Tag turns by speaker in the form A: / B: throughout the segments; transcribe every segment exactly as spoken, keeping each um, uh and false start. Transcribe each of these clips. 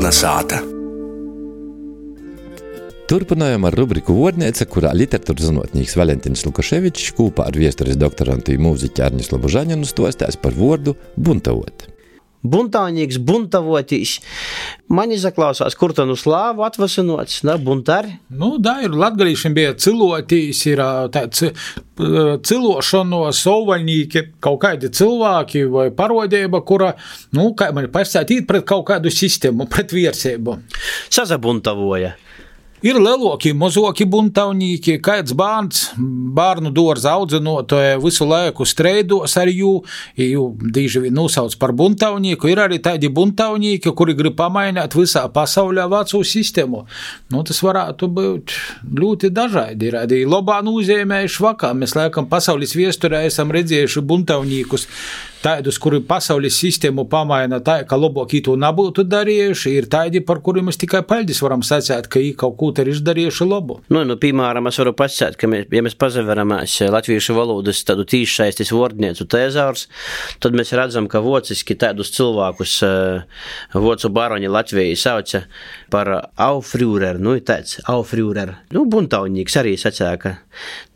A: Melna sāta.
B: Turpinājām ar rubriku Vuorneica, kurā literatūras zinotnīks Valentins Lukaševičs kopā ar viesturis doktorantu i mūziķi Arņislovu Žaņinu stostās par vuordu buntavot.
C: Buntaunīgs, buntavotīs. Man izaklausās, kur to nu slāvu atvasinots, da, buntari?
D: Nu, da, ir latgalīšiem bija cilotīs, ir tāds cilošanos, solvaļnīki, kaut kādi cilvēki vai parodība, kura, nu, kā man pasēt, īt pret kaut kādu sistēmu, pret viersību.
C: Sazabuntavoja.
D: Ir leloki, mozoki buntaunīki, kāds bārns, bārnu dārza audzinotoja visu laiku streidos ar jū, jū dīži vien nosauc par buntaunīku. Ir arī tādi buntaunīki, kuri grib pamainīt visā pasaulē veco sistēmu. Nu, tas varētu būt ļoti dažādi. Ir arī labā nozīmējuši vakā. Mēs laikam pasaules viesturē esam redzējuši buntaunīkus tādus, kuri pasaules sistēmu pamaina tā, ka labāk to nebūtu darījuši, ir tādi, par kuriem mēs tikai paldies varam sacēt, ka viņi kaut ko ir izdarījuši labu.
C: Nu, nu, piemēram, es varu pasacēt, ka mēs, ja mēs pazaveramās latviešu valodas tādu tīšsaistis vordniecu tēzaurs, tad mēs redzam, ka vociski tādus cilvēkus vocu baroņi Latvijai sauca par aufrūrer, nu, tāds aufrūrer, nu, buntaunīgs arī sacēja, ka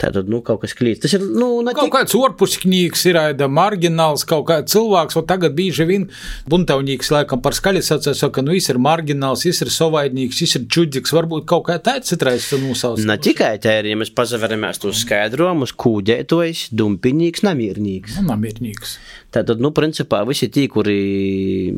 C: tātad, nu, kaut kas klīst. Tas ir, nu, ne
D: kaut
C: tik...
D: kāds orpusknīgs ir, aida margināls, kaut kāds cilvēks, o tagad bīži vien buntaunīgs, laikam, par skaļi sacēja, saka, nu, jis ir margināls, jis ir sovaidnīgs, jis ir čudzīgs, varbūt kaut kā tāds citrais nosauc.
C: Ne tikai tā ir, ja mēs pazaveramies tos skaidrojumus, kūdētojs, dumpinīgs, namiernīgs.
D: Nu, namiernīgs.
C: Tātad, nu, principā, visi tī, kuri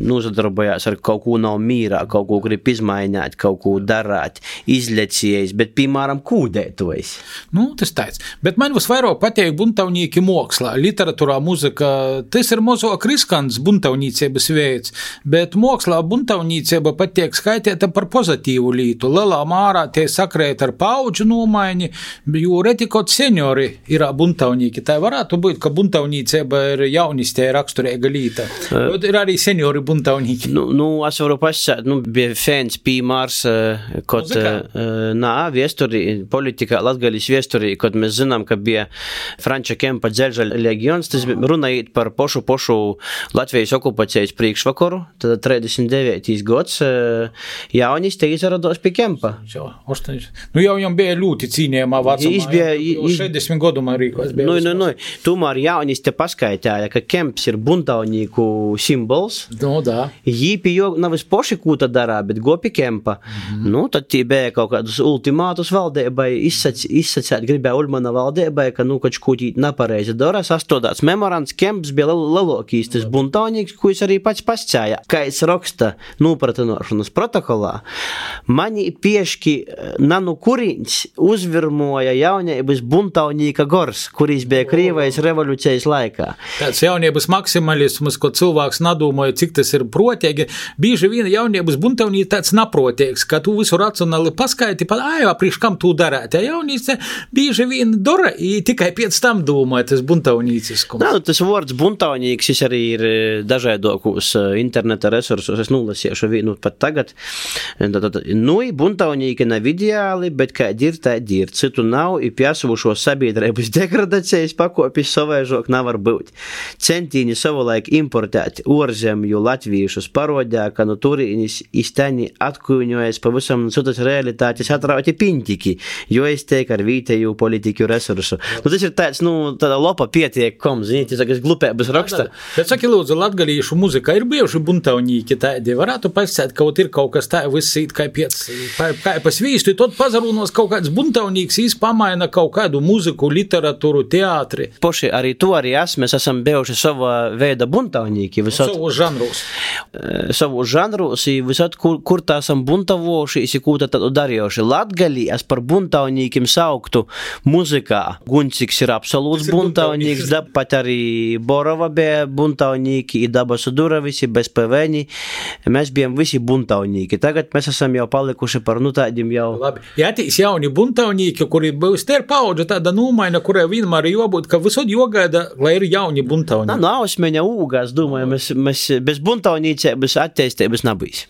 C: nozadarbojās ar kaut ko nav mīrā, kaut ko grib izmaināt, kaut ko darāt, izlecījis, bet, piemēram, kūdētojs.
D: Nu, tas tāds. Bet man visvairāk pateik buntaunīki mokslā, literatūrā, muzika, tas ir mozuok riskants buntaunīcības veids, bet mokslā buntaunīcība pateik skaitēta par pozitīvu lītu. Lelā mārā tie sakrēt ar paudžu nomaiņi, jo retikot seniori ir buntaunīki. Tā varētu būt, ka buntaunīcība ir jaunistē raksturīga līta. Uh, ir arī seniori buntaunīki.
C: Nu, nu es varu pasakāt, nu, bija fēns pīmārs, kod, uh, nā, viesturī, politikā, latgaļas viesturī, kod mēs zinām, ka bija Franča Kempa dzelža legions, tas runājot par pošu pošu Latvijas okupācijas priekšvakaru, tad trīsdesmit devītais gads jaunistē izrados pie Kempa.
D: Nu, jau viņam bija ļoti cīnījumā vecumā,
C: bija,
D: jau šeidesmit gadumā rīkos.
C: Nu, nu, nu, tomēr jaunistē paskaitēja, ka Kemps ir buntaunīku simbols.
D: Nu, da.
C: Jī pie jo nav es poši kūta darā, bet go pie Kempa. Mm-hmm. Nu, tad tī bija kaut kādus ultimātus valdībai, izsac, izsacēt gribēja Ulmana valdībai, ka, nu, kač kūtīt nepareizi dara, sastodāts memorants, Kemps bija lelokīs, tas buntaunīks, ko es arī pats pascēja. Kā es raksta nūpratinošanas protokolā, mani pieški nanu kurīņs uzvirmoja jaunības buntaunīka gors, kurīs bija Krievijas revolūcijas laikā.
D: Tāds jaunības maksimalisms, ko cilvēks nadomāja, cik tas ir protīgi. Bīži vien jaunības buntaunī tāds naprotīgs, ka tu visu racionāli paskaiti, pat, ai, priekš kam tu darāt. Ja jaunīce bīži vien dara, i tikai pēc tam domāja tas buntaunīciskums.
C: Nā, nu, tas vārds buntaunīgs, šis arī ir dažādokūs interneta resursus, es nulasiešu vienu pat tagad. Nu, buntaunīki nav ideāli, bet kādi ir, tādi ir. Citu nav, i piesavušo sabiedrības degradācijas pakopis savaižok nevar būt. Centīni savulaik importēt orzemju latviešus parodē, ka no turīnis iztaini atkūņojas pavisam citas realitātes atrauti piņtiki, jo es teik ar vītēju politiku resursu. Nu, tas ir tāds, nu, tāda lopa pietiek kom, zinīt, tas glupēbas raksta.
D: Bet saki, lūdzu, latgalīšu muzika ir bijuši buntaunīki tādi, varētu pasēt, kaut ir kaut kas tā visīt, kā piec, kā pasvīstu, tad pazarūnos kaut kāds buntaunīks, jis pamaina kaut kādu muziku, literatūru, teātri.
C: Poši arī tu arī es, mēs esam bijuši sava veida buntaunīki. Visot,
D: savu žanrus.
C: Savu žanrus, visot, kur, kur tā esam buntavoši, isi kūta tādu darījoši. Latgalī es par buntaunīkim sauktu muzikā. Gunciks ir absolūts buntaunīks, da, pat arī Borova bija buntaunīki, i Dabasu Dura visi, bez pevēni. Mēs bijām visi buntaunīki. Tagad mēs esam jau palikuši par, nu, tādiem jau...
D: Labi. Ja atīs jauni buntaunīki, kuri būs te ir paudža tāda nūmaina, kurai vienmēr jābūt, ka visot jogaida, lai ir jauni buntaunīki.
C: Nu, ausmeņa ūgās, domāju, mēs, mēs bez buntaunīcības attīstības nebūs.